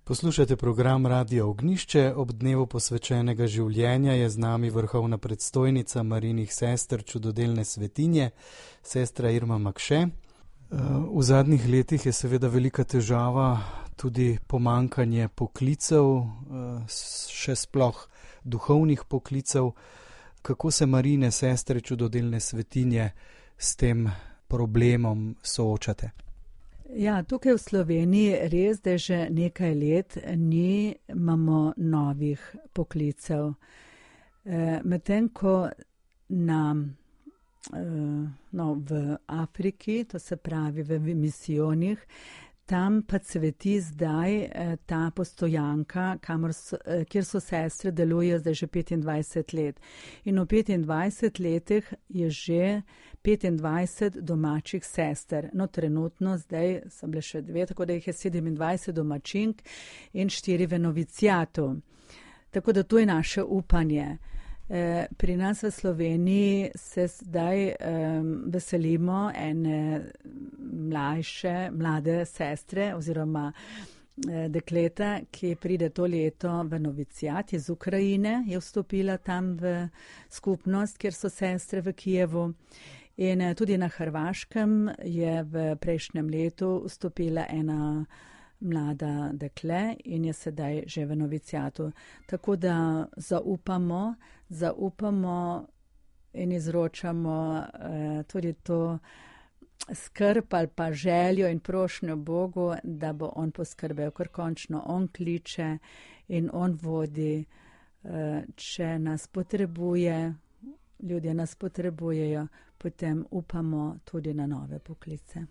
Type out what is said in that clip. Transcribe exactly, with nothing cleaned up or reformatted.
Poslušate program Radia Ognjišče. Ob dnevu posvečenega življenja je z nami vrhovna predstojnica Marijinih sester Čudodelne svetinje, sestra Irma Makše. V zadnjih letih je seveda velika težava tudi pomankanje poklicev, še sploh duhovnih poklicev. Kako se Marijine sestre Čudodelne svetinje s tem problemom soočate? Ja, tukaj v Sloveniji res, da že nekaj let ni, imamo novih poklicev. E, medtem ko na, e, no, v Afriki, to se pravi v misijonih, tam pa cveti zdaj eh, ta postojanka, kamor so, eh, kjer so sestre delujejo zdaj že petindvajset let. In v petindvajset letih je že petindvajset domačih sester. No, trenutno zdaj so bile še dve, tako da jih je sedemindvajset domačink in štiri v novicijatu. Tako da to je naše upanje. Pri nas v Sloveniji se zdaj um, veselimo ene mlajše, mlade sestre oziroma eh, dekleta, ki pride to leto v novicijat iz Ukrajine, je vstopila tam v skupnost, kjer so sestre v Kijevu. In eh, tudi na Hrvaškem je v prejšnjem letu vstopila ena mlada dekle in je sedaj že v novicijatu. Tako da zaupamo, zaupamo in izročamo eh, tudi to skrb ali pa željo in prošnjo Bogu, da bo on poskrbel, ker končno on kliče in on vodi, eh, če nas potrebuje, ljudje nas potrebujejo, potem upamo tudi na nove poklice.